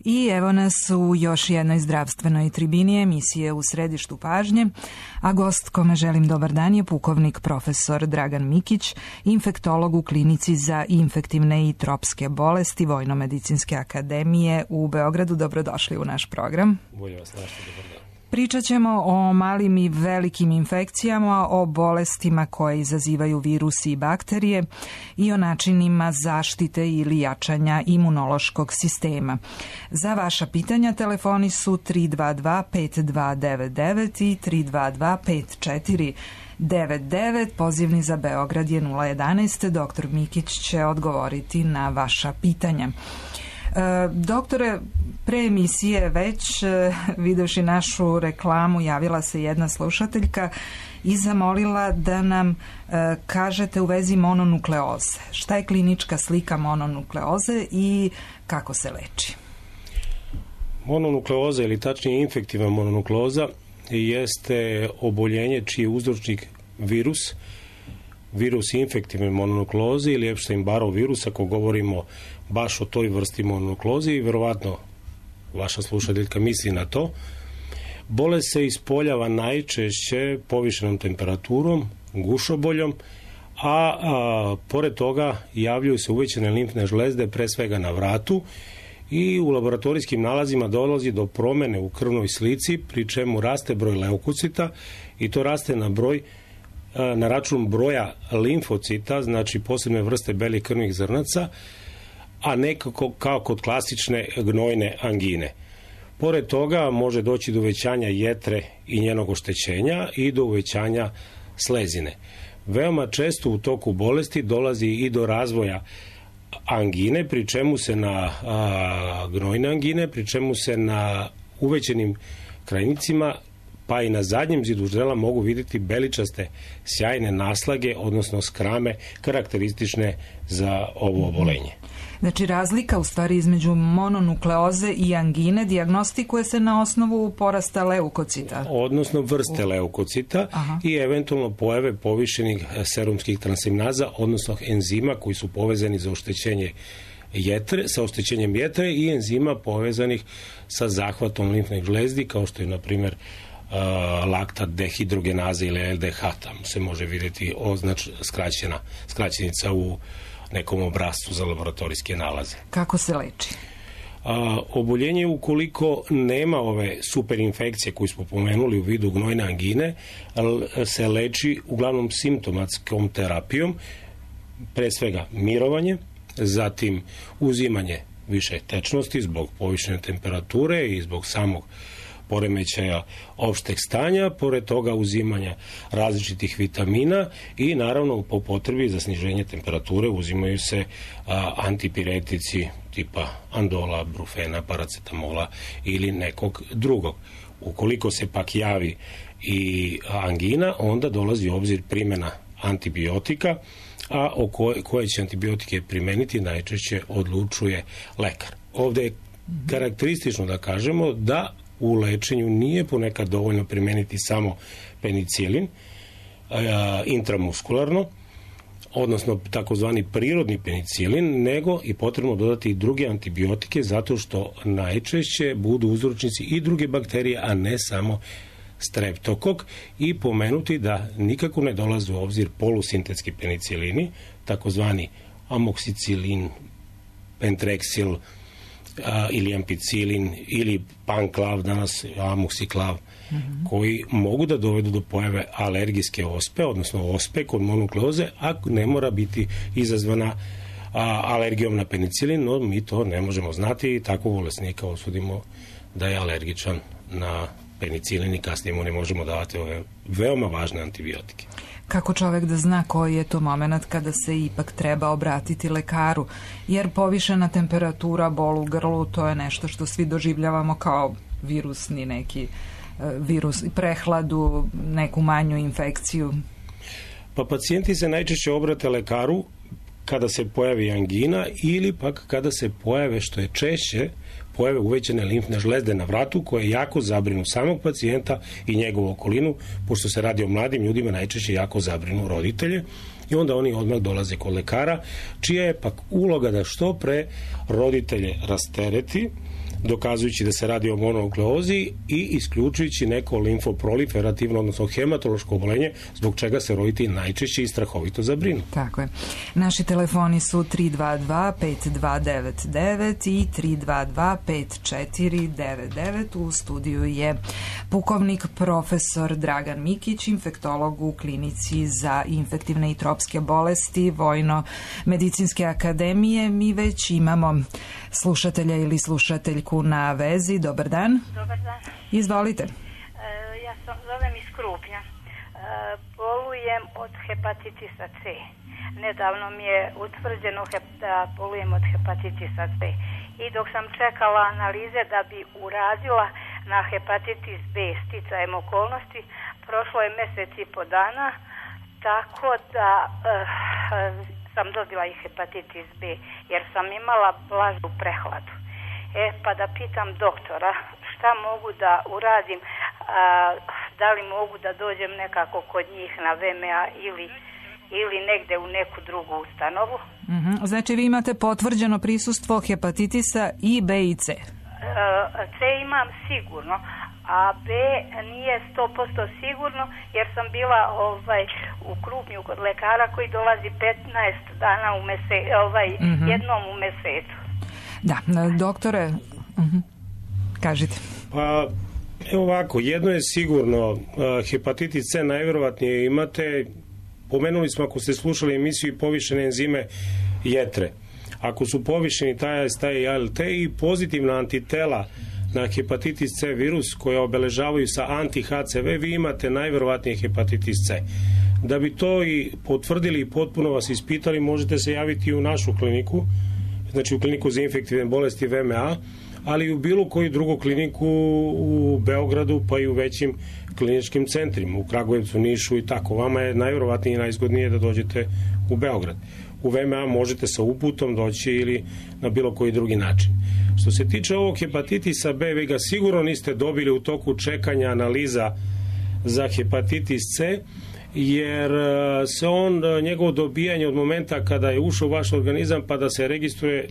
I evo nas u još jednoj zdravstvenoj tribini emisije U središtu pažnje, a gost kome želim dobar dan je pukovnik profesor Dragan Mikić, infektolog u klinici za infektivne i tropske bolesti Vojno-medicinske akademije u Beogradu. Dobrodošli u naš program. Bolje vas našli, dobar dan. Pričat ćemo o malim i velikim infekcijama, o bolestima koje izazivaju virusi i bakterije i o načinima zaštite ili jačanja imunološkog sistema. Za vaša pitanja telefoni su 322-5299 i 322-5499. Pozivni za Beograd je 011. Doktor Mikić će odgovoriti na vaša pitanja. Doktore, pre emisije već, videvši našu reklamu, javila se jedna slušateljka i zamolila da nam kažete u vezi mononukleoze. Šta je klinička slika mononukleoze i kako se leči? Mononukleoza ili tačnije infektivna mononukleoza jeste oboljenje čiji je uzročnik virus infektivne mononukleoze ili Epstein-Barrov virus, ako govorimo baš o toj vrsti mononukleoze, i verovatno vaša slušateljka misli na to. Bolest se ispoljava najčešće povišenom temperaturom, gušoboljom, a pored toga javljaju se uvećane limfne žlezde, pre svega na vratu, i u laboratorijskim nalazima dolazi do promene u krvnoj slici, pri čemu raste broj leukocita i to raste na račun broja limfocita, znači posebne vrste belih krvnih zrnaca, a nekako kao kod klasične gnojne angine. Pored toga može doći do uvećanja jetre i njenog oštećenja i do uvećanja slezine. Veoma često u toku bolesti dolazi i do razvoja angine, pri čemu se na gnojne angine, pri čemu se na uvećenim krajnicima pa i na zadnjem zidu ždrela mogu vidjeti beličaste sjajne naslage, odnosno skrame karakteristične za ovo obolenje. Znači razlika u stvari između mononukleoze i angine dijagnostikuje se na osnovu porasta leukocita. Odnosno vrste leukocita i eventualno pojave povišenih serumskih transaminaza, odnosno enzima koji su povezani za oštećenje sa oštećenjem jetre i enzima povezanih sa zahvatom limfnih žlezdi, kao što je na primjer laktat dehidrogenaza ili LDH. Tamo se može vidjeti skraćenica u nekom obrascu za laboratorijske nalaze. Kako se leči? Oboljenje, ukoliko nema ove superinfekcije koju smo pomenuli u vidu gnojne angine, se leči uglavnom simptomatskom terapijom, pre svega mirovanje, zatim uzimanje više tečnosti zbog povišene temperature i zbog samog poremećaja opšteg stanja, pored toga uzimanja različitih vitamina i naravno po potrebi za sniženje temperature uzimaju se antipiretici tipa andola, brufena, paracetamola ili nekog drugog. Ukoliko se pak javi i angina, onda dolazi u obzir primjena antibiotika, a koje će antibiotike primeniti najčešće odlučuje lekar. Ovdje je karakteristično da kažemo da u lečenju nije ponekad dovoljno primeniti samo penicilin intramuskularno, odnosno takozvani prirodni penicilin, nego i potrebno dodati i druge antibiotike, zato što najčešće budu uzročnici i druge bakterije, a ne samo streptokok, i pomenuti da nikako ne dolaze u obzir polusintetski penicilini, takozvani amoksicilin, pentreksil, ili ampicilin ili panklav, danas amoksiklav, koji mogu da dovedu do pojave alergijske ospe, odnosno ospe kod mononukleoze, a ne mora biti izazvana alergijom na penicilin, no mi to ne možemo znati i takvog bolesnika osudimo da je alergičan na penicilin i kasnije mu ne možemo davati ove veoma važne antibiotike. Kako čovjek da zna koji je to moment kada se ipak treba obratiti lekaru? Jer povišena temperatura, bol u grlu, to je nešto što svi doživljavamo kao virusni neki virus, prehladu, neku manju infekciju. Pa pacijenti se najčešće obrate lekaru kada se pojavi angina ili pak kada se pojave, što je češće, pojave uvećane limfne žlezde na vratu koje jako zabrinu samog pacijenta i njegovu okolinu, pošto se radi o mladim ljudima, najčešće jako zabrinu roditelje i onda oni odmah dolaze kod lekara, čija je pak uloga da što pre roditelje rastereti, dokazujući da se radi o mononukleozi i isključujući neko limfoproliferativno, odnosno hematološko oboljenje, zbog čega se roditelji najčešće i strahovito zabrinu. Tako je. Naši telefoni su 322-5299 i 322-5499. U studiju je pukovnik profesor Dragan Mikić, infektolog u klinici za infektivne i tropske bolesti Vojno-medicinske akademije. Mi već imamo slušatelja ili slušateljku na vezi. Dobar dan. Dobar dan. Izvolite. Ja zovem iz Krupnja. Bolujem od hepatitisa C. Nedavno mi je utvrđeno da bolujem od hepatitisa C. I dok sam čekala analize da bi uradila na hepatitis B sticajem okolnosti, prošlo je mjesec i po dana, tako da sam dobila i hepatitis B, jer sam imala blažu prehladu. Pa da pitam doktora šta mogu da uradim, da li mogu da dođem nekako kod njih na VMA ili negde u neku drugu ustanovu. Znači vi imate potvrđeno prisustvo hepatitisa i B i C? C imam sigurno, a B nije 100% sigurno, jer sam bila u Krupnju kod lekara koji dolazi 15 dana jednom u mesecu. Da, doktore, kažite. Pa, evo ovako, jedno je sigurno, hepatitis C najvjerovatnije imate, pomenuli smo, ako ste slušali emisiju, i povišene enzime jetre. Ako su povišeni taj AST i ALT i pozitivna antitela na hepatitis C virus koje obeležavaju sa anti-HCV, vi imate najvjerovatnije hepatitis C. Da bi to i potvrdili i potpuno vas ispitali, možete se javiti u našu kliniku, znači u kliniku za infektivne bolesti VMA, ali i u bilo koju drugu kliniku u Beogradu, pa i u većim kliničkim centrima, u Kragujevcu, Nišu i tako. Vama je najvjerovatnije i najzgodnije da dođete u Beograd. U VMA možete sa uputom doći ili na bilo koji drugi način. Što se tiče ovog hepatitisa B, vi ga sigurno niste dobili u toku čekanja analiza za hepatitis C, jer se njegovo dobijanje od momenta kada je ušao u vaš organizam pa da se registruje,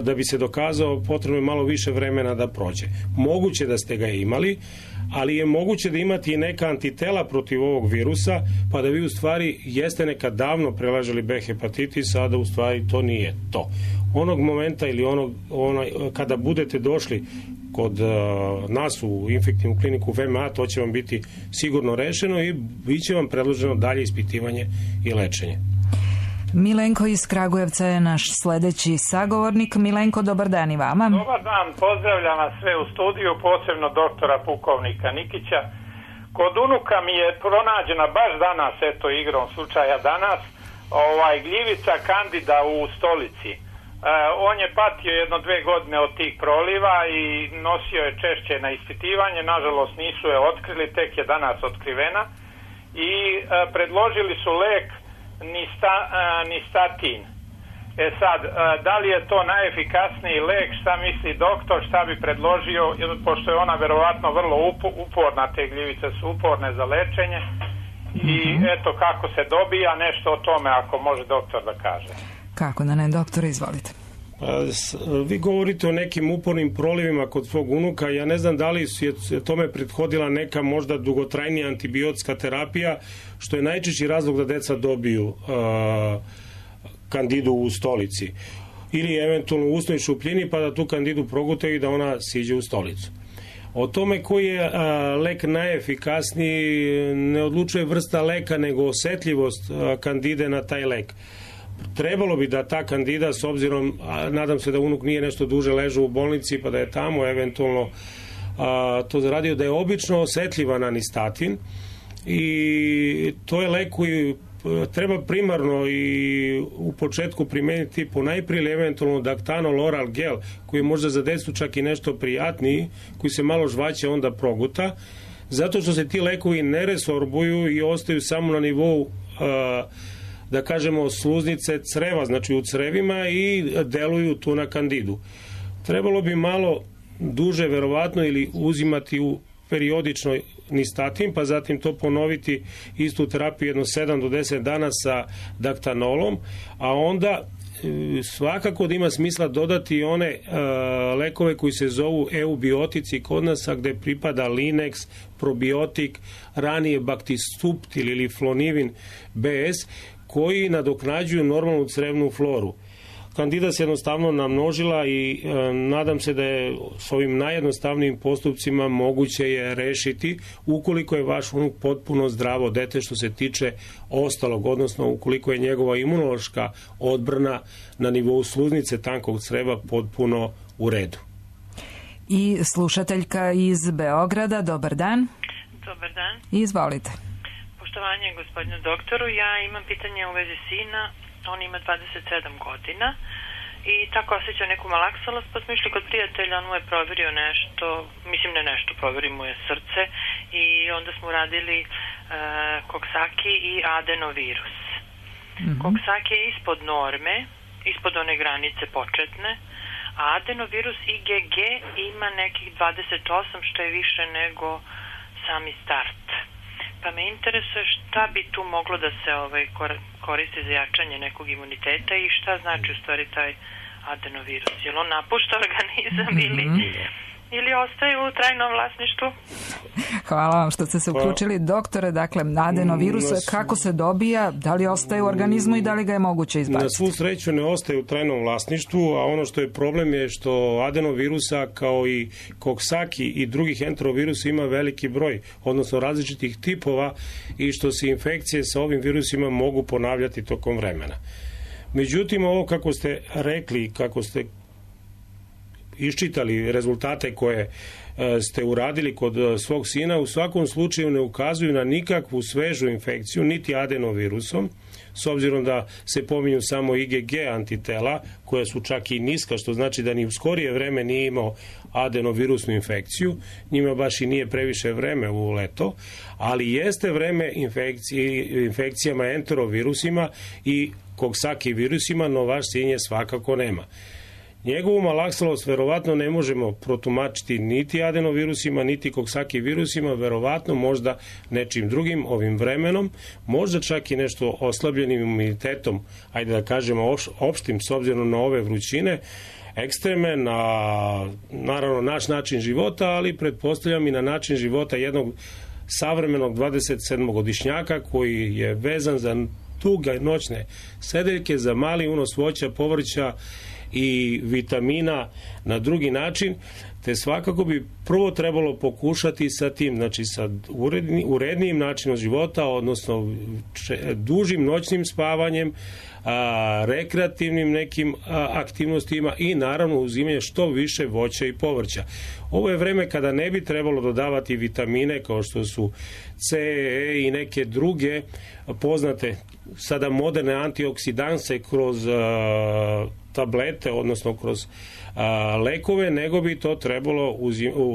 da bi se dokazao, potrebno je malo više vremena da prođe. Moguće da ste ga imali, ali je moguće da imate i neka antitela protiv ovog virusa, pa da vi u stvari jeste nekad davno prelažali B hepatitisa, a da u stvari to nije to. Onog momenta ili kada budete došli kod nas u infektivnu kliniku VMA, to će vam biti sigurno rešeno i bit će vam predloženo dalje ispitivanje i lečenje. Milenko iz Kragujevca je naš sledeći sagovornik. Milenko, dobar dan i vama. Dobar dan, pozdravljam vas sve u studiju, posebno doktora pukovnika Nikića. Kod unuka mi je pronađena baš danas, eto igrom slučaja danas, gljivica kandida u stolici. On je patio 1-2 godine od tih proliva i nosio je češće na ispitivanje, nažalost nisu je otkrili, tek je danas otkrivena i predložili su lek nistatin. Sad, da li je to najefikasniji lek, šta misli doktor, šta bi predložio, pošto je ona verovatno vrlo uporna, te gljivice su uporne za lečenje i eto kako se dobija, nešto o tome ako može doktor da kaže. Kako da ne, doktore, izvolite. Vi govorite o nekim upornim prolivima kod svog unuka. Ja ne znam da li je tome prethodila neka možda dugotrajnija antibiotska terapija, što je najčešći razlog da deca dobiju kandidu u stolici. Ili eventualno u usnoj šupljini, pa da tu kandidu progutaju i da ona siđe u stolicu. O tome koji je lek najefikasniji ne odlučuje vrsta leka, nego osetljivost kandide na taj lek. Trebalo bi da ta kandida, s obzirom, nadam se da unuk nije nešto duže ležao u bolnici pa da je tamo eventualno to zaradio, da je obično osetljiva na nistatin i to je lek koji treba primarno i u početku primeniti ponajprije ili eventualno daktanol oral gel, koji je možda za decu čak i nešto prijatniji, koji se malo žvaće onda proguta, zato što se ti lekovi ne resorbuju i ostaju samo na nivou da kažemo sluznice creva, znači u crevima, i deluju tu na kandidu. Trebalo bi malo duže verovatno ili uzimati u periodično nistatin, pa zatim to ponoviti istu terapiju jedno 7 do 10 dana sa daktanolom, a onda svakako da ima smisla dodati one lekove koji se zovu eubiotici kod nas, gde pripada Linex, probiotik, ranije Bactistuptil ili Flonivin BS, koji nadoknađuju normalnu crevnu floru. Kandida se jednostavno namnožila i nadam se da je s ovim najjednostavnijim postupcima moguće je rešiti ukoliko je vaš unuk potpuno zdravo dete što se tiče ostalog, odnosno ukoliko je njegova imunološka odbrana na nivou sluznice tankog creva potpuno u redu. I slušateljka iz Beograda, dobar dan. Dobar dan. Izvolite. Poštovanje gospodinu doktoru, ja imam pitanje u vezi sina. On ima 27 godina i tako osjeća neku malaksalost, pa smo išli kod prijatelja, on mu je proverio nešto, mislim ne nešto, proverio mu je srce i onda smo radili koksaki i adenovirus. Koksaki je ispod norme, ispod one granice početne, a adenovirus IgG ima nekih 28, što je više nego sami start. Pa me interesuje šta bi tu moglo da se koristi za jačanje nekog imuniteta i šta znači u stvari taj adenovirus. Je li on napušta organizam ili ostaje u trajnom vlasništvu? Hvala vam što ste se uključili. Doktore, dakle, adenovirus, kako se dobija, da li ostaje u organizmu i da li ga je moguće izbaciti? Na svu sreću ne ostaje u trajnom vlasništvu, a ono što je problem je što adenovirusa kao i koksaki i drugih enterovirusa ima veliki broj, odnosno različitih tipova i što se infekcije sa ovim virusima mogu ponavljati tokom vremena. Međutim, ovo kako ste rekli, kako ste iščitali rezultate koje ste uradili kod svog sina, u svakom slučaju ne ukazuju na nikakvu svežu infekciju, niti adenovirusom, s obzirom da se pominju samo IgG antitela, koja su čak i niska, što znači da ni u skorije vreme nije imao adenovirusnu infekciju, njima baš i nije previše vreme u leto, ali jeste vreme infekcijama enterovirusima i koksaki virusima, no vaš sin je svakako nema. Njegovu malaksalost verovatno ne možemo protumačiti niti adenovirusima, niti koksaki virusima, verovatno možda nečim drugim ovim vremenom, možda čak i nešto oslabljenim imunitetom, ajde da kažemo opštim s obzirom na ove vrućine, ekstreme, na naravno naš način života, ali pretpostavljam i na način života jednog savremenog 27-godišnjaka koji je vezan za duge noćne sedeljke, za mali unos voća, povrća i vitamina na drugi način, te svakako bi prvo trebalo pokušati sa tim, znači sa urednijim načinom života, odnosno dužim noćnim spavanjem, rekreativnim nekim aktivnostima i naravno uzimanje što više voća i povrća. Ovo je vreme kada ne bi trebalo dodavati vitamine kao što su C, E i neke druge poznate sada moderne antioksidanse kroz tablete, odnosno kroz lekove, nego bi to trebalo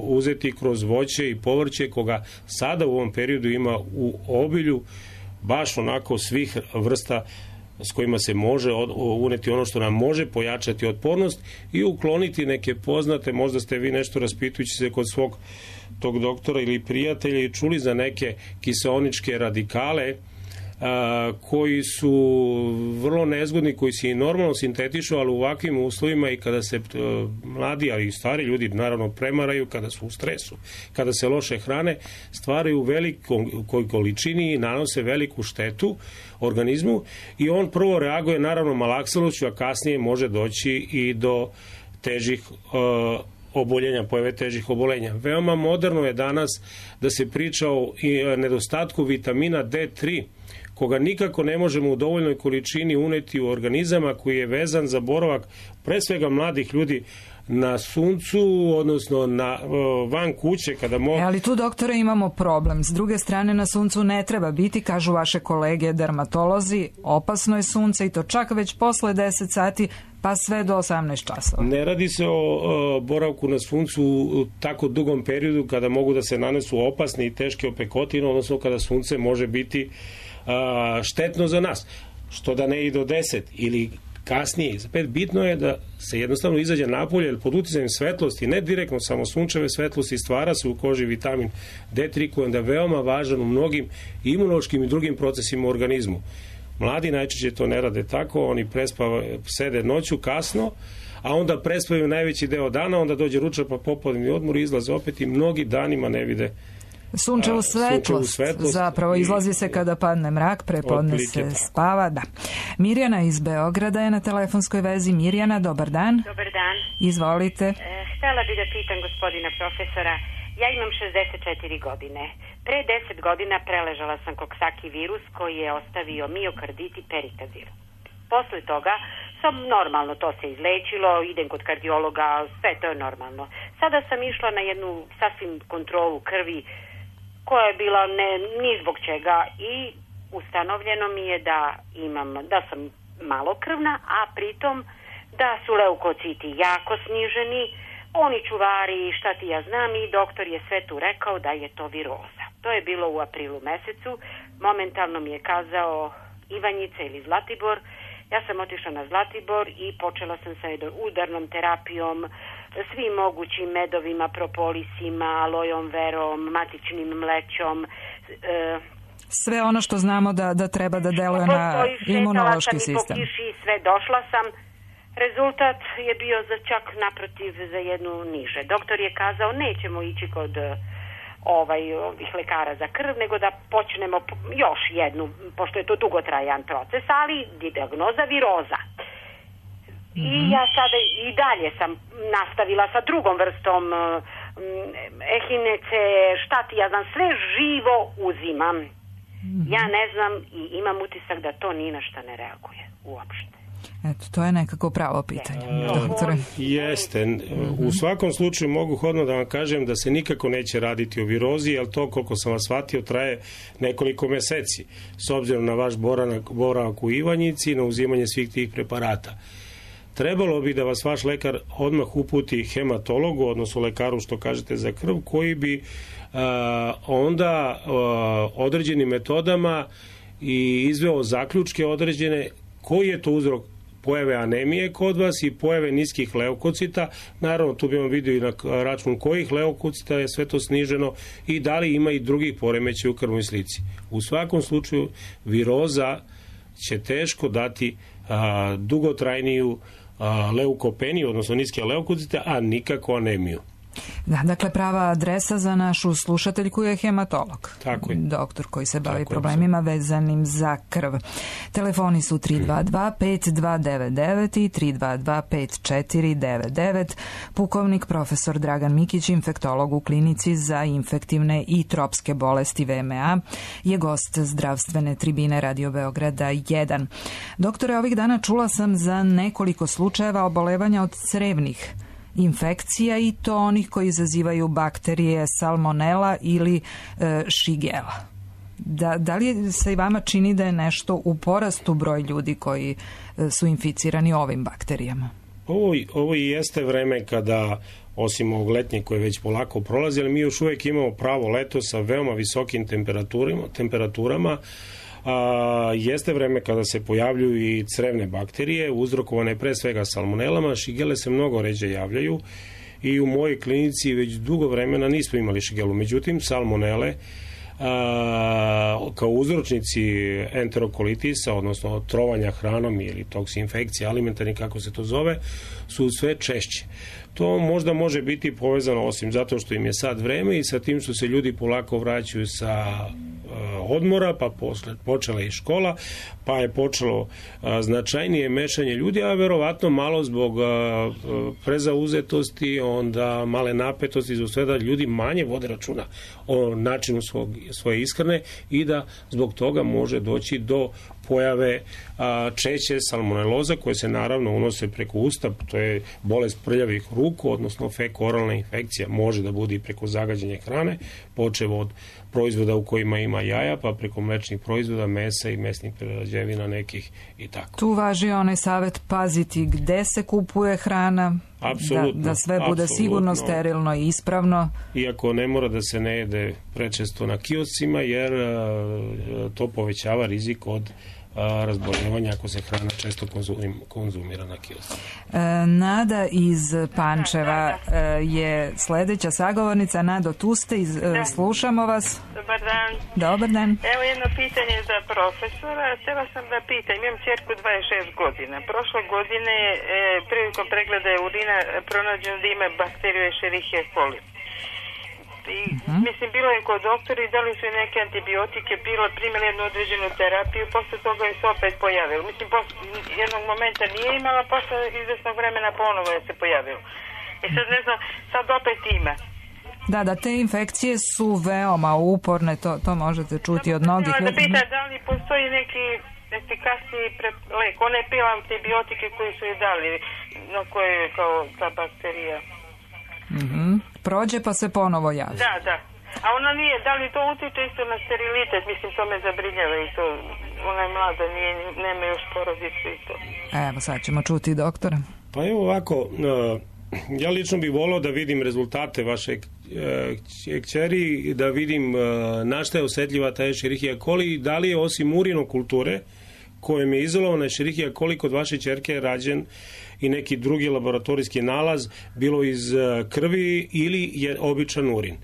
uzeti kroz voće i povrće, koga sada u ovom periodu ima u obilju, baš onako svih vrsta s kojima se može uneti ono što nam može pojačati otpornost i ukloniti neke poznate, možda ste vi nešto raspitujući se kod svog tog doktora ili prijatelja i čuli za neke kiseoničke radikale koji su vrlo nezgodni, koji se i normalno sintetišu, ali u ovakvim uslovima i kada se mladi, ali i stari ljudi naravno premaraju, kada su u stresu, kada se loše hrane, stvaraju u velikoj količini i nanose veliku štetu organizmu i on prvo reaguje naravno malaksalošću, a kasnije može doći i do težih oboljenja, pojave težih obolenja. Veoma moderno je danas da se priča o nedostatku vitamina D3, koga nikako ne možemo u dovoljnoj količini uneti u organizama, koji je vezan za boravak pre svega mladih ljudi na suncu, odnosno van kuće kada ali tu, doktore, imamo problem. S druge strane, na suncu ne treba biti, kažu vaše kolege dermatolozi, opasno je sunce i to čak već posle 10 sati pa sve do 18 časova. Ne radi se o boravku na suncu u tako dugom periodu kada mogu da se nanesu opasne i teške opekotine, odnosno kada sunce može biti štetno za nas, što da ne i do 10 ili kasnije. Bitno je da se jednostavno izađe napolje, jer pod uticajem svetlosti, ne direktno samo sunčeve svetlosti, stvara se u koži vitamin D3 koji je onda veoma važan u mnogim imunološkim i drugim procesima u organizmu. Mladi najčešće to ne rade tako, oni sede noću kasno, a onda prespavaju najveći deo dana, onda dođe ručak pa popodnevni odmor i izlaze opet i mnogi danima ne vide sunčevu svetlost. Zapravo izlazi se kada padne mrak, prepodne se spava. Da. Mirjana iz Beograda je na telefonskoj vezi. Mirjana, dobar dan. Dobar dan. Izvolite. Htjela bi da pitam gospodina profesora, ja imam 64 godine. Pre 10 godina preležala sam koksaki virus koji je ostavio miokardit i perikazir. Posle toga sam normalno, to se izlečilo, idem kod kardiologa, sve to je normalno. Sada sam išla na jednu sasvim kontrolu krvi koja je bila ni zbog čega i ustanovljeno mi je da sam malokrvna, a pritom da su leukociti jako sniženi, oni čuvari, šta ti ja znam, i doktor je sve tu rekao da je to viroza. To je bilo u aprilu mesecu, momentalno mi je kazao Ivanjica ili Zlatibor. Ja sam otišla na Zlatibor i počela sam sa udarnom terapijom, svim mogućim medovima, propolisima, alojom verom, matičnim mlećom. Sve ono što znamo da treba da deluje na imunološki sistem. Po kiši sve došla sam. Rezultat je bio čak naprotiv za jednu niže. Doktor je kazao nećemo ići kod ovih lekara za krv, nego da počnemo još jednu, pošto je to dugotrajan proces, ali dijagnoza viroza. I ja sada i dalje sam nastavila sa drugom vrstom ehinece, šta ti ja znam, sve živo uzimam. Ja ne znam i imam utisak da to ni na šta ne reaguje uopšte. Eto, to je nekako pravo pitanje, doktore. Jeste. U svakom slučaju mogu hodno da vam kažem da se nikako neće raditi o virozi, jer to, koliko sam vas shvatio, traje nekoliko meseci, s obzirom na vaš boravak u Ivanjici i na uzimanje svih tih preparata. Trebalo bi da vas vaš lekar odmah uputi hematologu, odnosno lekaru što kažete za krv, koji bi onda određenim metodama i izveo zaključke određene koji je to uzrok pojave anemije kod vas i pojave niskih leukocita. Naravno, tu bi vam vidio i na račun kojih leukocita je sve to sniženo i da li ima i drugih poremećaja u krvnoj slici. U svakom slučaju, viroza će teško dati dugotrajniju leukopeniju, odnosno niske leukocite, a nikako anemiju. Da, dakle, prava adresa za našu slušateljku je hematolog. Tako je. Doktor koji se bavi problemima vezanim za krv. Telefoni su 322-5299 i 322-5499. Pukovnik profesor Dragan Mikić, infektolog u klinici za infektivne i tropske bolesti VMA, je gost zdravstvene tribine Radio Beograda 1. Doktore, ovih dana čula sam za nekoliko slučajeva obolevanja od crevnih infekcija i to onih koji izazivaju bakterije salmonela ili šigela. Da li se i vama čini da je nešto u porastu broj ljudi koji su inficirani ovim bakterijama? Ovo i jeste vreme kada, osim ovog letnje koje već polako prolazi, ali mi još uvijek imamo pravo leto sa veoma visokim temperaturama. Jeste vreme kada se pojavljuju i crevne bakterije, uzrokovane pre svega salmonelama. Šigele se mnogo ređe javljaju i u mojoj klinici već dugo vremena nismo imali šigelu. Međutim, salmonele kao uzročnici enterokolitisa, odnosno trovanja hranom ili toksinfekcije alimentarni, kako se to zove, su sve češće. To možda može biti povezano, osim zato što im je sad vreme, i sa tim što se ljudi polako vraćaju sa odmora, pa počela i škola, pa je počelo značajnije mešanje ljudi, a verovatno malo zbog prezauzetosti, onda male napetosti, zbog sve da ljudi manje vode računa o načinu svoje ishrane i da zbog toga može doći do pojave češće salmoneloza, koje se naravno unose preko usta. To je bolest prljavih ruku, odnosno fekoralna infekcija. Može da bude i preko zagađenja hrane, počev od proizvoda u kojima ima jaja, pa preko mlečnih proizvoda, mesa i mesnih prerađevina nekih i tako. Tu važi onaj savjet paziti gde se kupuje hrana, da sve bude sigurno, sterilno i ispravno. Iako ne mora da se ne jede prečesto na kioscima, jer to povećava rizik od razboljevanja ako se hrana često konzumira na kiosku. Nada iz Pančeva je sljedeća sagovornica. Nado, tu ste, slušamo vas. Dobar dan. Dobar dan. Evo jedno pitanje za profesora. Htjela sam da pitam, imam ćerku 26 godina. Prošle godine prilikom pregleda urina pronađeno da ima bakteriju Escherichia coli. I, mislim, bilo je kod doktora i dali su neke antibiotike, primjeli jednu određenu terapiju, posle toga je se opet pojavilo. Mislim, jednog momenta nije imala, posle izvesnog vremena ponovo je se pojavilo. I sad ne znam, sad opet ima. Da, te infekcije su veoma uporne, to možete čuti od mnogih ljudi. Da pita da li postoji neki efikasniji lek. Ona je pila antibiotike koji su je dali, na koje je kao ta bakterija. Prođe pa se ponovo javi. Da. A ona nije, da li to utiče isto na sterilitet? Mislim, to me zabrinjava i to. Ona je mlada, nema još porodicu i to. Evo, sad ćemo čuti doktora. Pa evo ovako, ja lično bih volio da vidim rezultate vaše kćeri, da vidim na šta je osjetljiva ta Escherichia coli i da li je osim urinokulture kojem je izolovana Escherichia coli kod vaše ćerke rađen i neki drugi laboratorijski nalaz, bilo iz krvi ili je običan urin.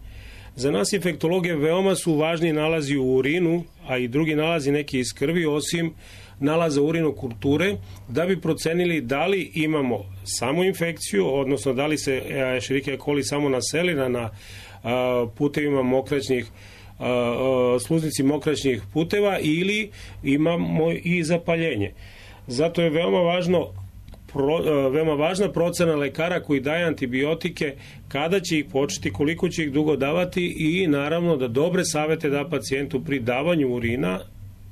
Za nas infektologe veoma su važni nalazi u urinu, a i drugi nalazi neki iz krvi, osim nalaza urinokulture, da bi procenili da li imamo samo infekciju, odnosno da li se Escherichia coli samo naselila na putevima mokraćnih, sluznici mokraćnih puteva ili imamo i zapaljenje. Zato je veoma važna procena lekara koji daje antibiotike, kada će ih početi, koliko će ih dugo davati i naravno da dobre savete da pacijentu pri davanju urina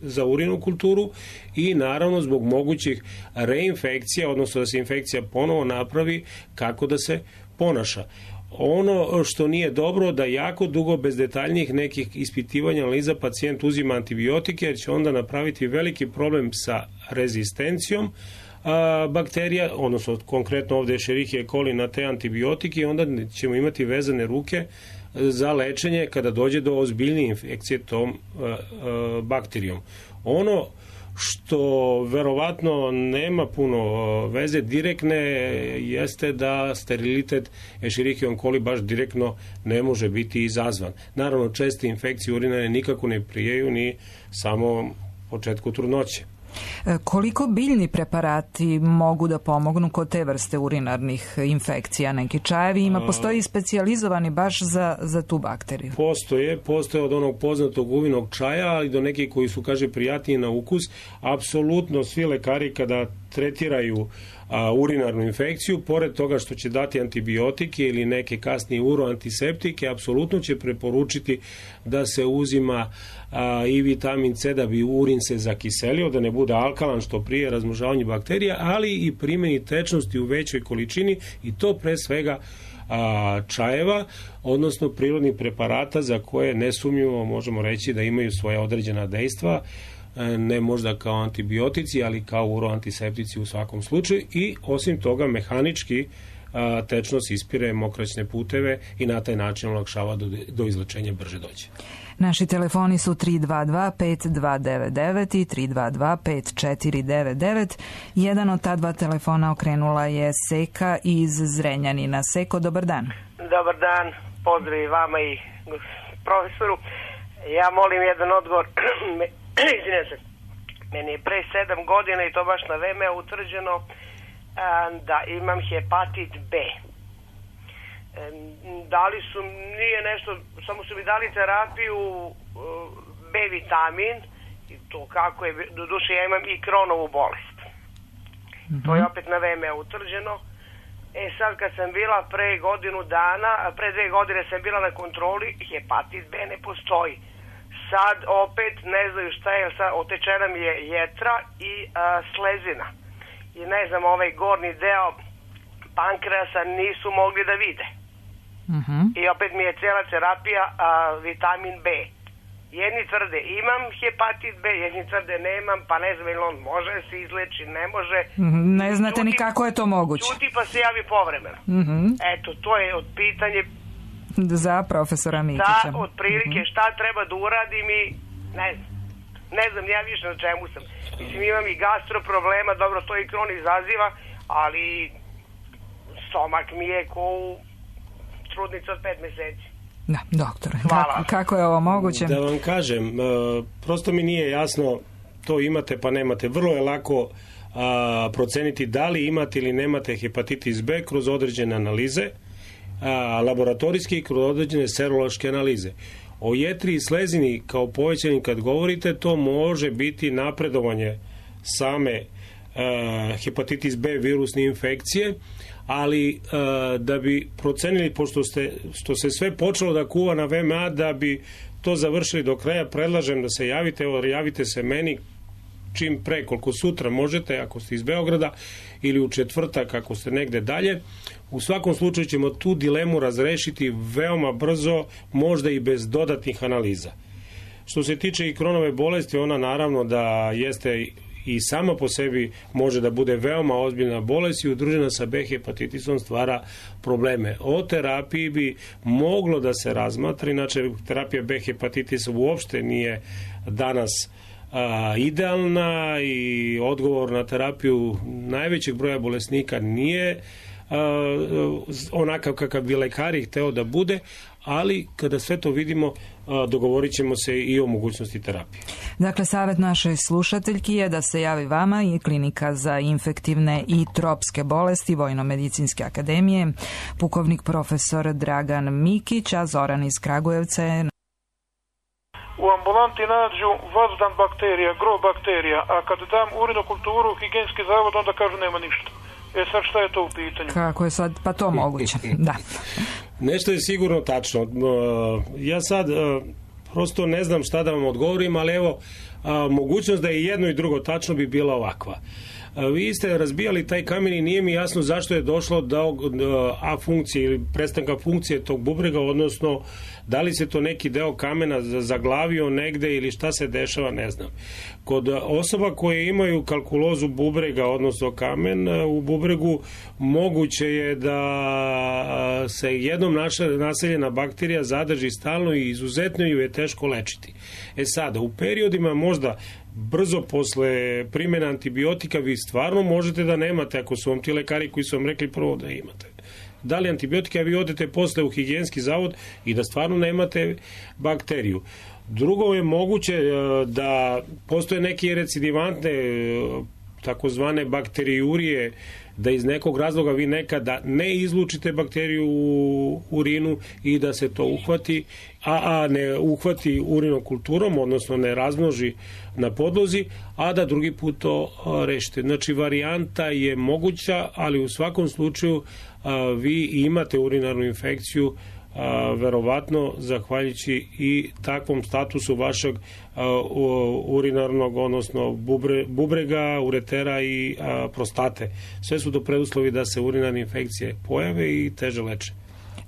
za urinokulturu i naravno zbog mogućih reinfekcija, odnosno da se infekcija ponovo napravi, kako da se ponaša. Ono što nije dobro, da jako dugo bez detaljnijih nekih ispitivanja analiza pacijent uzima antibiotike, jer će onda napraviti veliki problem sa rezistencijom bakterija, odnosno konkretno ovdje Escherichia coli na te antibiotike, i onda ćemo imati vezane ruke za lečenje kada dođe do ozbiljnije infekcije tom bakterijom. Ono što verovatno nema puno veze direktne jeste da sterilitet Escherichia coli baš direktno ne može biti izazvan. Naravno, česte infekcije urinare nikako ne prijeju ni samo početku trudnoće. Koliko biljni preparati mogu da pomognu kod te vrste urinarnih infekcija? Neki čajevi postoji specijalizovani baš za tu bakteriju? Postoje od onog poznatog uvinog čaja, ali do nekih koji su, prijatniji na ukus. Apsolutno svi lekari kada tretiraju urinarnu infekciju, pored toga što će dati antibiotike ili neke kasnije uroantiseptike, apsolutno će preporučiti da se uzima i vitamin C da bi urin se zakiselio, da ne bude alkalan što prije razmnožavanje bakterija, ali i primjeni tečnosti u većoj količini, i to pre svega čajeva, odnosno prirodnih preparata za koje nesumnjivo možemo reći da imaju svoja određena dejstva, ne možda kao antibiotici, ali kao uroantiseptici u svakom slučaju, i osim toga mehanički tečnost ispire mokraćne puteve i na taj način olakšava do izlečenja brže dođe. Naši telefoni su 322-5299 i 322-5499. Jedan od ta dva telefona okrenula je Seka iz Zrenjanina. Seko, dobar dan. Dobar dan, pozdrav i vama i profesoru. Ja molim jedan odgovor. Meni je pre 7 godina, i to baš na vreme, utvrđeno da imam hepatit B. Dali su, nije nešto, samo su mi dali terapiju B vitamin, i to kako je, do duše ja imam i Crohnovu bolest. To je opet na vreme utvrđeno. Sad kad sam bila pre 2 godine sam bila na kontroli, hepatit B ne postoji. Sad opet ne znaju šta je, sad otečena mi je jetra i slezina. I ne znam, ovaj gornji deo pankreasa nisu mogli da vide. I opet mi je cijela terapija vitamin B. Jedni tvrde imam hepatit B, jedni tvrde nemam, pa ne znam ili on može se izleči, ne može. Ne znate ni kako je to moguće. Čuti pa se javi povremeno. Eto, to je od pitanje za profesora Mikića. Da, otprilike šta treba da uradim i ne znam. Ne znam ja više na čemu sam. Mislim, imam i gastro problema, dobro, to i Kron izaziva, ali stomak mi je ko u trudnica od 5 meseci. Da, doktore, kako je ovo moguće? Da vam kažem, prosto mi nije jasno, to imate pa nemate. Vrlo je lako proceniti da li imate ili nemate hepatitis B kroz određene analize, laboratorijske i kroz određene serološke analize. O jetri i slezini kao povećanim kad govorite, to može biti napredovanje same hepatitis B virusne infekcije, ali da bi procenili, pošto što se sve počelo da kuva na VMA, da bi to završili do kraja, predlažem da se javite, javite se meni čim pre, koliko sutra možete, ako ste iz Beograda, ili u četvrtak ako ste negde dalje. U svakom slučaju ćemo tu dilemu razrešiti veoma brzo, možda i bez dodatnih analiza. Što se tiče i Kronove bolesti, ona naravno da jeste i sama po sebi može da bude veoma ozbiljna bolest i udružena sa B hepatitisom stvara probleme. O terapiji bi moglo da se razmatra, inače terapija B hepatitisa uopšte nije danas idealna i odgovor na terapiju najvećeg broja bolesnika nije onakav kakav bi lekari hteo da bude, ali kada sve to vidimo dogovorit ćemo se i o mogućnosti terapije. Dakle, savjet našoj slušateljki je da se javi vama i Klinika za infektivne i tropske bolesti Vojno-medicinske akademije, pukovnik profesor Dragan Mikić, a Zoran iz Kragujevca je... U ambulanti nađu vazdan bakterija, gro bakterija, a kad dam urinokulturu u higijenski zavod, onda kažu nema ništa. Sad šta je to u pitanju? Kako je sad, pa to moguće, da. Nešto je sigurno tačno. Ja sad prosto ne znam šta da vam odgovorim, ali evo, mogućnost da je jedno i drugo tačno bi bila ovakva. Vi ste razbijali taj kamen i nije mi jasno zašto je došlo do afunkcije ili prestanka funkcije tog bubrega, odnosno da li se to neki deo kamena zaglavio negde ili šta se dešava, ne znam. Kod osoba koje imaju kalkulozu bubrega, odnosno kamen u bubregu, moguće je da se jednom naseljena bakterija zadrži stalno i izuzetno ju je teško lečiti. Sada, u periodima možda brzo posle primjene antibiotika vi stvarno možete da nemate, ako su vam ti lekari koji su vam rekli prvo da imate. Da li antibiotika, a vi odete posle u higijenski zavod i da stvarno nemate bakteriju. Drugo je moguće da postoje neke recidivantne takozvane bakterijurije, da iz nekog razloga vi nekada ne izlučite bakteriju u urinu i da se to uhvati, a ne uhvati urinokulturom, odnosno ne razmnoži na podlozi, a da drugi put to rešite. Znači, varijanta je moguća, ali u svakom slučaju vi imate urinarnu infekciju, verovatno zahvaljujući i takvom statusu vašeg urinarnog, odnosno bubrega, uretera i prostate. Sve su to preduslovi da se urinarne infekcije pojave i teže leče.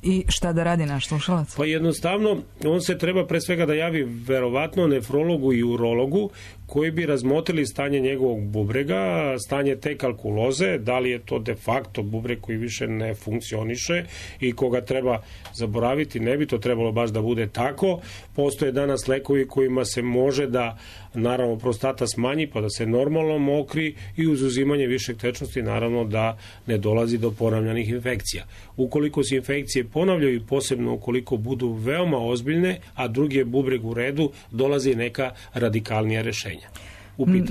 I šta da radi naš slušalac? Pa jednostavno, on se treba pre svega da javi verovatno nefrologu i urologu koji bi razmotrili stanje njegovog bubrega, stanje te kalkuloze, da li je to de facto bubreg koji više ne funkcioniše i koga treba zaboraviti, ne bi to trebalo baš da bude tako. Postoje danas lekovi kojima se može da, naravno, prostata smanji pa da se normalno mokri i uz uzimanje višeg tečnosti, naravno, da ne dolazi do ponavljanih infekcija. Ukoliko se infekcije ponavljaju, posebno ukoliko budu veoma ozbiljne, a drugi je bubreg u redu, dolazi neka radikalnija rešenja.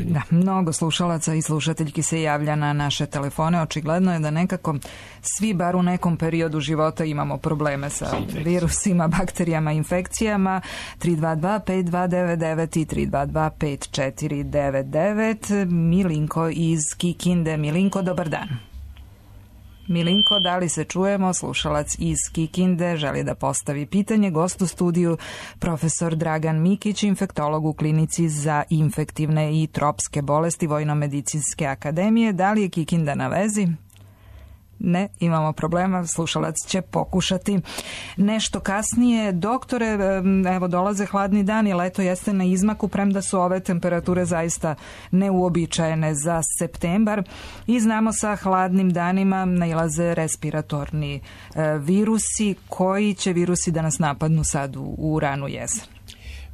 Da, mnogo slušalaca i slušateljki se javlja na naše telefone. Očigledno je da nekako svi, bar u nekom periodu života, imamo probleme sa virusima, bakterijama, infekcijama. 322-5299 i 322-5499. Milinko iz Kikinde. Milinko, dobar dan. Milinko, da li se čujemo? Slušalac iz Kikinde želi da postavi pitanje. Gost u studiju profesor Dragan Mikić, infektolog u Klinici za infektivne i tropske bolesti Vojno-medicinske akademije. Da li je Kikinda na vezi? Ne, imamo problema, slušalac će pokušati nešto kasnije. Doktore, evo dolaze hladni dani, leto jeste na izmaku, premda su ove temperature zaista neuobičajene za septembar i znamo sa hladnim danima nailaze respiratorni virusi. Koji će virusi da nas napadnu sad u ranu jesen?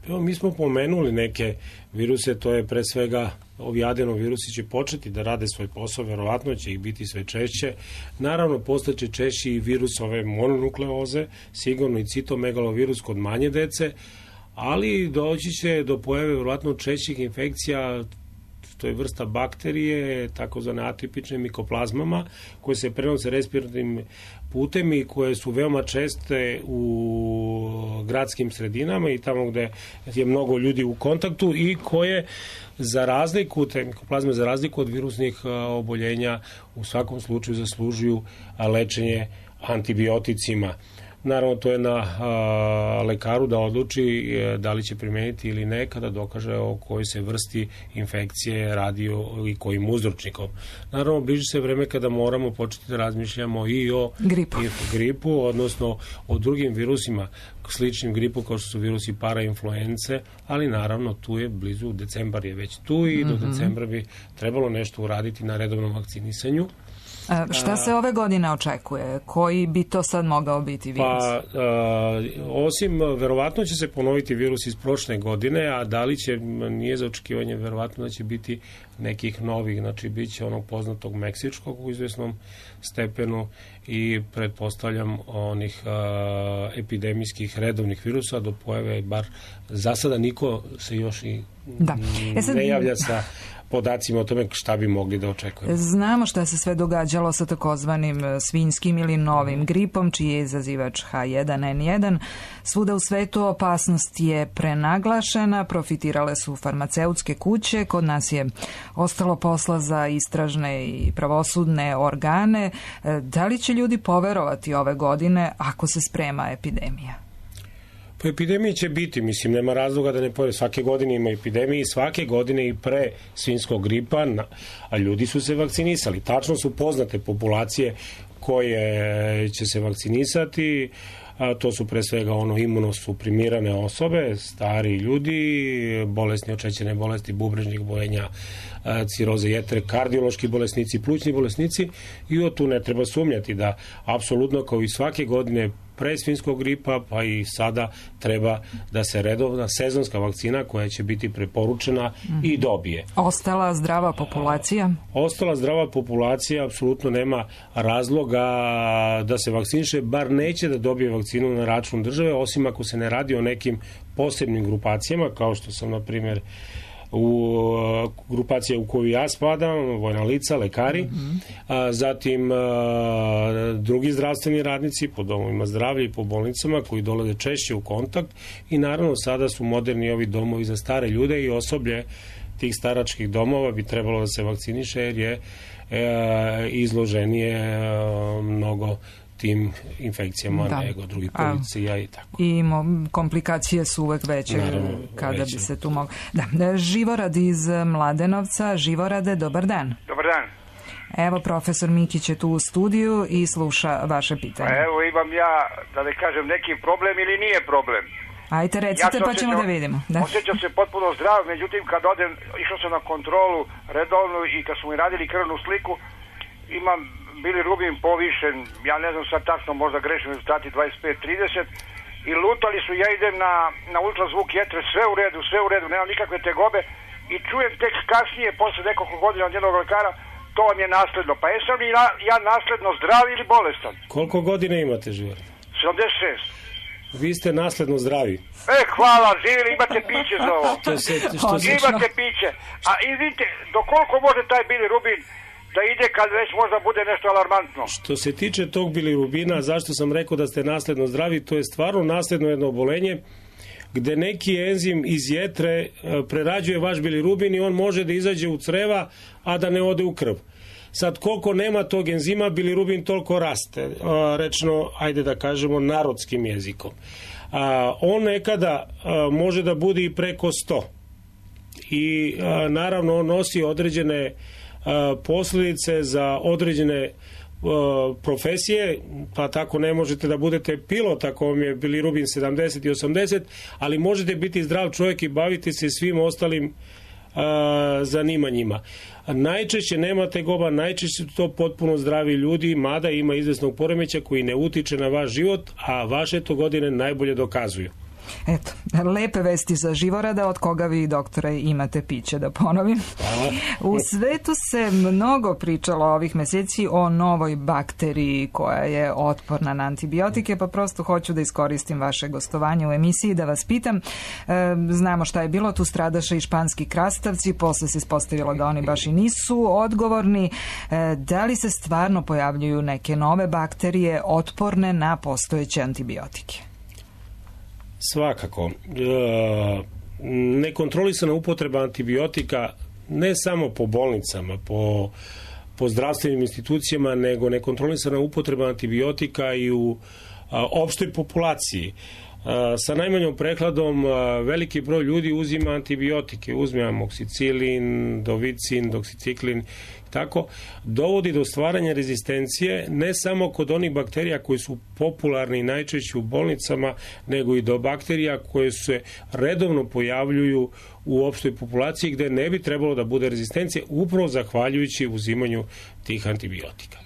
Evo, mi smo pomenuli neke viruse, to je pre svega ovi adenovirusi će početi da rade svoj posao, verovatno će ih biti sve češće. Naravno, postaće češći i virus ove mononukleoze, sigurno i citomegalovirus kod manje dece, ali doći će do pojave verovatno češćih infekcija, to je vrsta bakterije, takozvane atipične mikoplazmama, koje se prenose respiratornim putem i koje su veoma česte u gradskim sredinama i tamo gde je mnogo ljudi u kontaktu i koje za razliku, te mikoplazme za razliku od virusnih oboljenja u svakom slučaju zaslužuju lečenje antibioticima. Naravno, to je na lekaru da odluči da li će primeniti ili ne kada dokaže o kojoj se vrsti infekcije radi i kojim uzročnikom. Naravno, bliži se vreme kada moramo početi da razmišljamo i o gripu, odnosno o drugim virusima sličnim gripu kao što su virusi parainfluence, ali naravno tu je blizu, decembar je već tu i do decembra bi trebalo nešto uraditi na redovnom vakcinisanju. Šta se ove godine očekuje? Koji bi to sad mogao biti virus? Pa, osim, verovatno će se ponoviti virus iz prošle godine, a da li će, nije za očekivanje, verovatno da će biti nekih novih, znači bit će onog poznatog meksičkog u izvesnom stepenu i pretpostavljam onih epidemijskih redovnih virusa do pojave, bar za sada niko se još i ne javlja sa podacima o tome šta bi mogli da očekujemo. Znamo šta se sve događalo sa takozvanim svinjskim ili novim gripom, čiji je izazivač H1N1. Svuda u svetu opasnost je prenaglašena, profitirale su farmaceutske kuće, kod nas je ostalo posla za istražne i pravosudne organe. Da li će ljudi poverovati ove godine ako se sprema epidemija? Po epidemiji će biti, mislim, nema razloga da ne pojave. Svake godine ima epidemije i svake godine i pre svinjskog gripa, a ljudi su se vakcinisali. Tačno su poznate populacije koje će se vakcinisati, to su pre svega imunosuprimirane osobe, stari ljudi, bolesni od šećerne bolesti, bubrežnih oboljenja, ciroze jetre, kardiološki bolesnici, plućni bolesnici i tu ne treba sumnjati da apsolutno kao i svake godine pre svinjskog gripa, pa i sada treba da se redovna sezonska vakcina koja će biti preporučena i dobije. Ostala zdrava populacija? Ostala zdrava populacija apsolutno nema razloga da se vakciniše, bar neće da dobije vakcinu na račun države, osim ako se ne radi o nekim posebnim grupacijama, kao što sam, na primjer, u grupacije u koju ja spadam, vojna lica, lekari, zatim drugi zdravstveni radnici po domovima zdravlja i po bolnicama koji dolaze češće u kontakt i naravno sada su moderni ovi domovi za stare ljude i osoblje tih staračkih domova bi trebalo da se vakciniše jer je izloženije mnogo tim infekcijama nego drugih policija i tako. I komplikacije su uvek veće kada bi se tu moglo. Živorad iz Mladenovca. Živorade, dobar dan. Dobar dan. Evo, profesor Mikić je tu u studiju i sluša vaše pitanje. Evo, imam ja, da ne kažem, neki problem ili nije problem. Ajte, recite, pa ćemo da vidimo. Osjećam se potpuno zdrav, međutim, kad odem, išao sam na kontrolu redovnu i kad smo mi radili krvnu sliku, imam bilirubin povišen, ja ne znam sad tačno, možda grešim rezultati 25-30 i lutali su, ja idem na ultrazvuk jetre, sve u redu, nemam nikakve tegobe i čujem tek kasnije, posle nekoliko godina od jednog lekara, to vam je nasledno. Pa jesam li ja nasledno zdrav ili bolestan? Koliko godina imate, Život? 76. Vi ste nasledno zdravi. Hvala, živjeli, imate piće za ovo. Imate piće. A i vidite, do koliko može taj bilirubin da ide kad već možda bude nešto alarmantno? Što se tiče tog bilirubina, zašto sam rekao da ste nasledno zdravi, to je stvarno nasledno jedno obolenje gde neki enzim iz jetre prerađuje vaš bilirubin i on može da izađe u creva, a da ne ode u krv. Sad, koliko nema tog enzima, bilirubin toliko raste, rečno, ajde da kažemo, narodskim jezikom. On nekada može da bude i preko 100. I naravno, on nosi određene posljedice za određene profesije, pa tako ne možete da budete pilot ako vam je bilirubin 70 i 80, ali možete biti zdrav čovjek i baviti se svim ostalim zanimanjima. Najčešće nema tegoba, najčešće su to potpuno zdravi ljudi, mada ima izvesnog poremeća koji ne utiče na vaš život, a vaše to godine najbolje dokazuju. Eto, lepe vesti za Živorada, od koga vi, doktore, imate piće, da ponovim. U svetu se mnogo pričalo ovih meseci o novoj bakteriji koja je otporna na antibiotike, pa prosto hoću da iskoristim vaše gostovanje u emisiji da vas pitam. Znamo šta je bilo, tu stradaše i španski krastavci, posle se ispostavilo da oni baš i nisu odgovorni. Da li se stvarno pojavljuju neke nove bakterije otporne na postojeće antibiotike? Svakako. Nekontrolisana upotreba antibiotika ne samo po bolnicama, po zdravstvenim institucijama, nego nekontrolisana upotreba antibiotika i u opštoj populaciji. Sa najmanjom prekladom veliki broj ljudi uzima antibiotike, uzme amoksicilin, dovicin, doksiciklin, tako, dovodi do stvaranja rezistencije ne samo kod onih bakterija koji su popularni i najčešće u bolnicama, nego i do bakterija koje se redovno pojavljuju u opštoj populaciji gde ne bi trebalo da bude rezistencije, upravo zahvaljujući uzimanju tih antibiotika.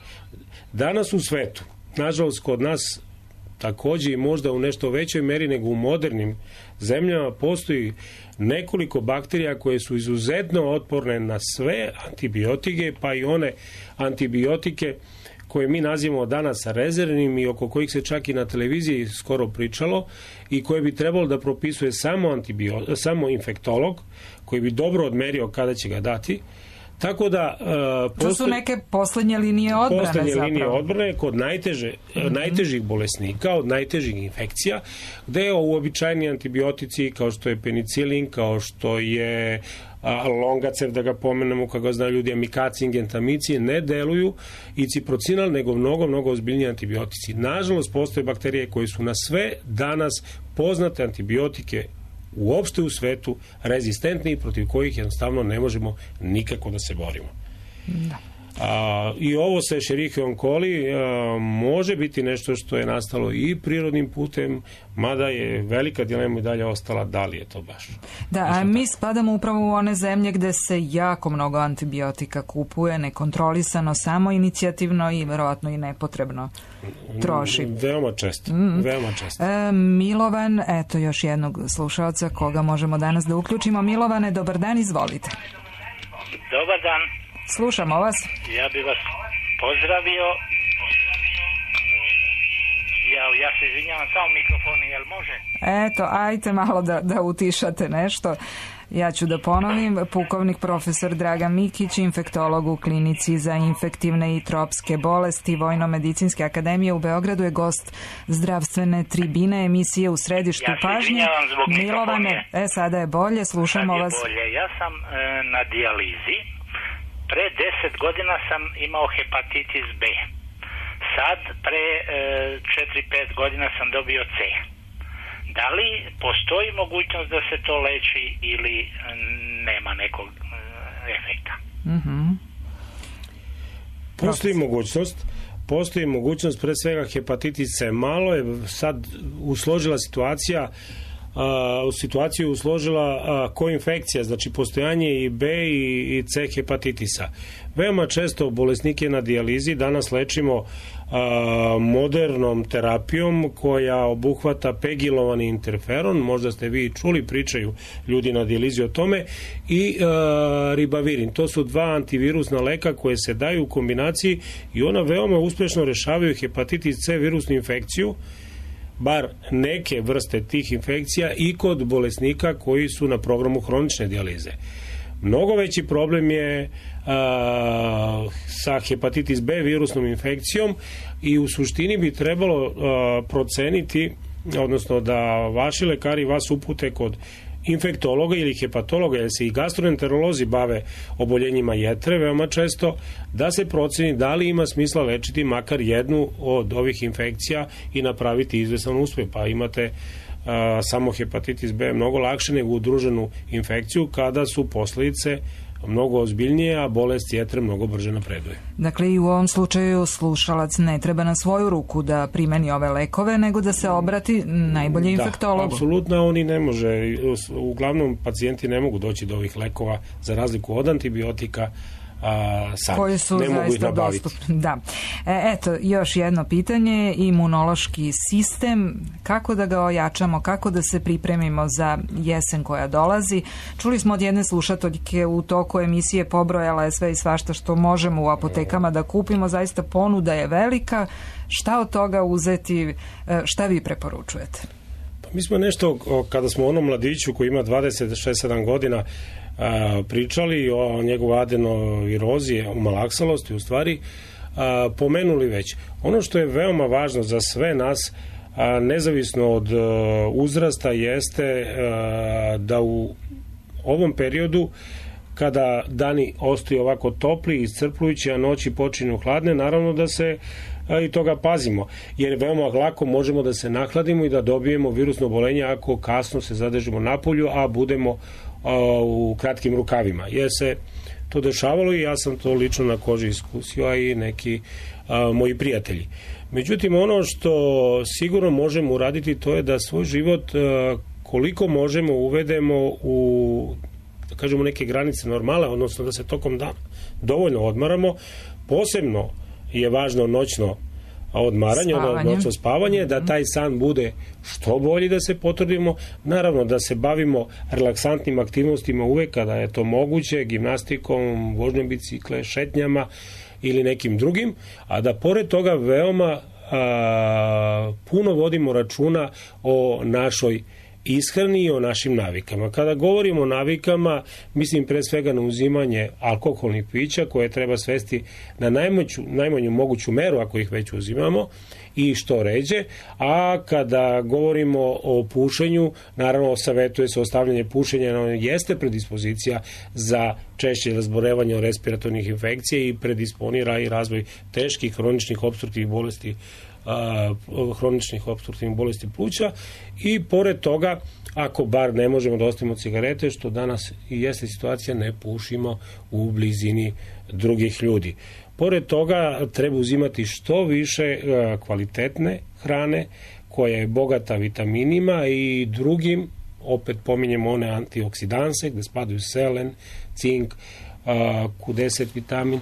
Danas u svetu, nažalost kod nas takođe i možda u nešto većoj meri nego u modernim zemljama, postoji nekoliko bakterija koje su izuzetno otporne na sve antibiotike, pa i one antibiotike koje mi nazivamo danas rezervnim i oko kojih se čak i na televiziji skoro pričalo i koje bi trebalo da propisuje samo infektolog, koji bi dobro odmerio kada će ga dati. Tako da to su neke poslednje linije odbrane zapravo. Linije odbrane kod najtežih bolesnika, od najtežih infekcija, gde uobičajeni antibiotici kao što je penicilin, kao što je longacev, da ga pomenemo, kako ga znaju ljudi, amikacin, gentamicin, ne deluju i ciprocinal, nego mnogo ozbiljniji antibiotici. Nažalost, postoje bakterije koje su na sve danas poznate antibiotike uopšte u svetu rezistentni i protiv kojih jednostavno ne možemo nikako da se borimo. Da. I ovo sa Escherichiom coli može biti nešto što je nastalo i prirodnim putem, mada je velika dilema i dalje ostala da li je to baš. Da, a mi spadamo upravo u one zemlje gde se jako mnogo antibiotika kupuje, nekontrolisano, samo inicijativno i verovatno i nepotrebno troši. Veoma često. Milovan, eto još jednog slušalca koga možemo danas da uključimo. Milovane, dobar dan, izvolite. Dobar dan. Slušamo vas. Ja bih vas pozdravio. Ja se izvinjavam, samo mikrofon, jel može? Eto, ajte malo da utišate nešto. Ja ću da ponovim, pukovnik profesor Dragan Mikić, infektolog u klinici za infektivne i tropske bolesti Vojno-medicinske akademije u Beogradu, je gost zdravstvene tribine emisije U središtu pažnje. Ja se izvinjavam zbog Milovane, sada je bolje, slušamo vas. Ja sam na dijalizi. Pre 10 godina sam imao hepatitis B. Sad, pre 4-5 godina sam dobio C. Da li postoji mogućnost da se to leči ili nema nekog efekta? Postoji mogućnost, pre svega hepatitis C. Malo je sad usložila situaciju koinfekcija, znači postojanje i B i C hepatitisa. Veoma često bolesnike na dijalizi danas lečimo modernom terapijom koja obuhvata pegilovani interferon, možda ste vi čuli, pričaju ljudi na dijalizi o tome, i ribavirin. To su dva antivirusna leka koje se daju u kombinaciji i ona veoma uspešno rešavaju hepatitis C virusnu infekciju, bar neke vrste tih infekcija, i kod bolesnika koji su na programu hronične dijalize. Mnogo veći problem je sa hepatitis B virusnom infekcijom i u suštini bi trebalo proceniti, odnosno da vaši lekari vas upute kod infektologa ili hepatologa, jer se i gastroenterolozi bave oboljenjima jetre veoma često, da se proceni da li ima smisla lečiti makar jednu od ovih infekcija i napraviti izvesan uspeh. Pa imate samo hepatitis B mnogo lakše nego udruženu infekciju kada su posledice mnogo ozbiljnije, a bolest jetre mnogo brže napreduje. Dakle, i u ovom slučaju slušalac ne treba na svoju ruku da primeni ove lekove, nego da se obrati najbolje infektologu. Da, apsolutno, oni ne može, uglavnom pacijenti ne mogu doći do ovih lekova za razliku od antibiotika, sad koji su ne mogu ih zaista nabaviti. dostupni. Da. Eto, još jedno pitanje, imunološki sistem, kako da ga ojačamo, kako da se pripremimo za jesen koja dolazi. Čuli smo od jedne slušateljke u toku emisije, pobrojala je sve i svašta što možemo u apotekama da kupimo, zaista ponuda je velika. Šta od toga uzeti, šta vi preporučujete? Pa mi smo nešto, kada smo onom mladiću koji ima 26-7 godina pričali o njegovoj adenovirozi, o malaksalosti u stvari, pomenuli već. Ono što je veoma važno za sve nas, nezavisno od uzrasta, jeste da u ovom periodu, kada dani ostaju ovako topli i iscrpljujući, a noći počinju hladne, naravno da se i toga pazimo, jer veoma lako možemo da se nahladimo i da dobijemo virusno oboljenje ako kasno se zadržimo napolju, a budemo u kratkim rukavima, jer se to dešavalo i ja sam to lično na koži iskusio, a i neki moji prijatelji. Međutim, ono što sigurno možemo uraditi, to je da svoj život koliko možemo uvedemo u, da kažemo, neke granice normale, odnosno da se tokom dana dovoljno odmaramo. Posebno je važno noćno odmaranje, noćno spavanje, da taj san bude što bolji, da se potrudimo, naravno da se bavimo relaksantnim aktivnostima uvek kada je to moguće, gimnastikom, vožnjom bicikle, šetnjama ili nekim drugim, a da pored toga veoma puno vodimo računa o našoj ishrani i o našim navikama. Kada govorimo o navikama, mislim pre svega na uzimanje alkoholnih pića koje treba svesti na najmanju moguću meru ako ih već uzimamo i što ređe, a kada govorimo o pušenju, naravno savetuje se ostavljanje pušenja, ono jeste predispozicija za češće razbolevanje od respiratornih infekcija i predisponira i razvoj teških hroničnih opstruktivnih bolesti pluća i pored toga, ako bar ne možemo da ostavimo cigarete, što danas i jeste situacija, ne pušimo u blizini drugih ljudi. Pored toga treba uzimati što više kvalitetne hrane koja je bogata vitaminima i drugim, opet pominjemo one antioksidanse gde spadaju selen, cink, Q10 vitamin,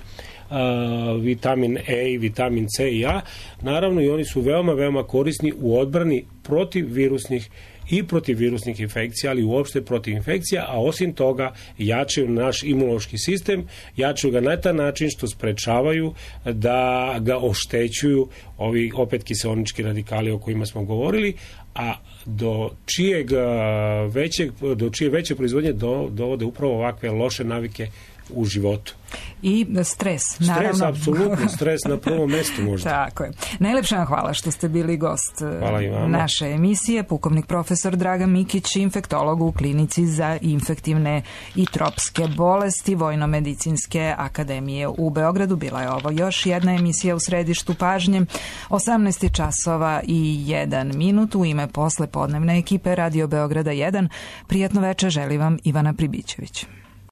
vitamin E i vitamin C i A, naravno i oni su veoma, veoma korisni u odbrani protiv virusnih infekcija, ali uopšte protiv infekcija, a osim toga jačaju naš imunološki sistem, jačaju ga na taj način što sprečavaju da ga oštećuju ovi opet kiseonički radikali o kojima smo govorili, a do čije veće proizvodnje dovode upravo ovakve loše navike u životu. I stres, naravno. Stres, apsolutno, stres na prvom mestu možda. Tako je. Najlepša vam hvala što ste bili gost naše emisije. Pukovnik profesor Dragan Mikić, infektolog u klinici za infektivne i tropske bolesti Vojno-medicinske akademije u Beogradu. Bila je ovo još jedna emisija u središtu pažnje. 18 časova i 1 minut. U ime poslepodnevne ekipe Radio Beograda 1. Prijatno večer želi vam Ivana Pribićević.